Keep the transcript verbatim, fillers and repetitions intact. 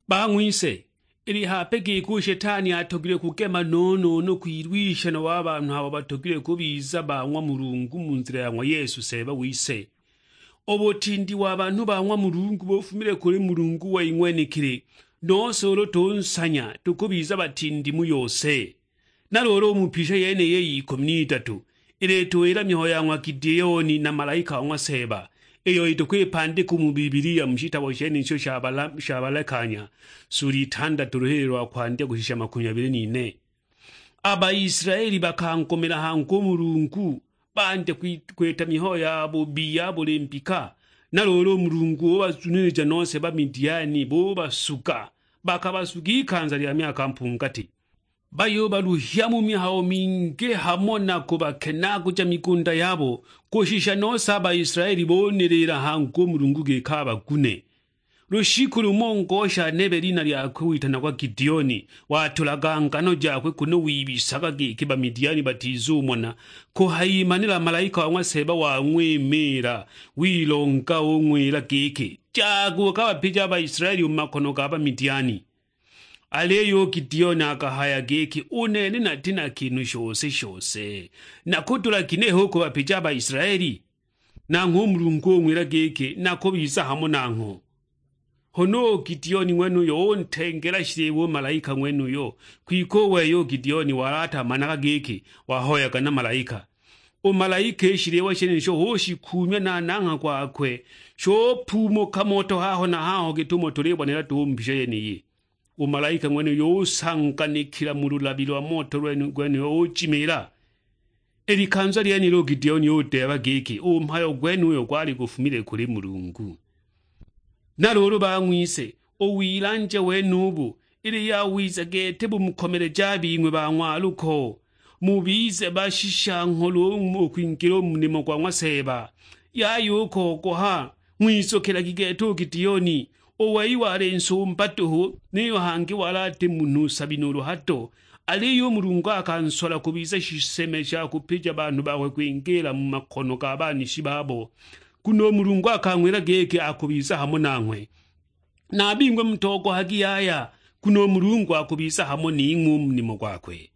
Bang'wise, ili hape giki u Shetani atogilwe kugema no-no-no kwilwisha nabo a banhu abo batogilwe kubiza ba ng'wa Mulungu mu nzila ya ng'wa Yesu Seeba wise. U butindi wa banhu ba ng'wa Mulungu bufumile kuli Mulungu wei ng'wenekili, nose ulu tunsanya tukubiza batindi mu yose. Na luulu u mu pisha yeniyi y'ikumi n'idatu, ilituwila mihayo ya ng'wa Gideoni na malaika wa ng'wa Seeba, iyo itukwipandika u mu Bibilia mu shitabo shenisho sha bala-, sha Balekanya, suli itandatu, luhili lwa kwandya kushisha makumi abili n'ine. A Baisilaeli bakankumila hangi u Mulungu, bandya kwi-, kwita mihayo ya bubi ya buli mbika. Na luulu u Mulungu ubazunilija nose Bamidiani, bubasuga, bakabasuga ikanza lya myaka mpungati. Bayubaluhya mu mihayo mingi hamo na kubakenaaguja migunda yabo, kushisha nose a Baisilaeli buniliila hangi u Mulungu giki abagune. Lushiku lumo ngosha nebe lina lyakwe witanagwa Gideoni, watulaga ngano jakwe kunu wibisaga giki Bamidiani batizumona, kuhayimanila malaika wa ng'wa Seeba wang'wimiila, wilonga ung'wila giki, "Jaga ukabapija a Baisilaeli u mu makono ga Bamidiani." Aliyo u Gideoni akahaya giki, "U nene nati na kinhu shose-shose, nakudula ginehe u kubapija a Baisilaeli?" Nanghwe u Mulungu ung'wila giki, "Nakubiza hamo nangho." Huna u Gideoni ng'wenuyo untengela shiliwa u malaika ng'wenuyo, kwike u wei u Gideoni wali atamanaga giki wahoyaga na malaika. U malaika i shiliwa shenisho ushikuumya na nangha gwakwe, shupuumuka moto haho na haho gitumo tulibonela duhu u mu mbisho yeniyi. U malaika ng'wenuyo usanganikila mu lulabi lwa moto lwenu-, gwenuyo ujimiila. I likanza lyenilo u Gideoni udeeba giki u mhayo gwenuyo gwali gufumile kuli Mulungu. Na luulu bang'wise, u wilanja wenubu ili yawiza gete bumukomeleja a bing'we bang'waluko, mubize bashisha ngholo u kwingila u mu nimo gwa ng'wa Seeba. Yaya u kogoha, ng'wizukilagi gete u Gideoni, u wei wali nsumba duhu, niyo hangi wali ati munhu nsabi nuulu hado, aliyo u Mulungu akansola kubiza shiseme sha kupija banhu bakwe kwingila mu makono ga banishi babo, nguno u Mulungu akang'wila giki akubiza hamo nanghwe. Na a bing'we mutogohagi yaya, nguno u Mulungu akubiza hamo ning'we u mu nimo gwakwe.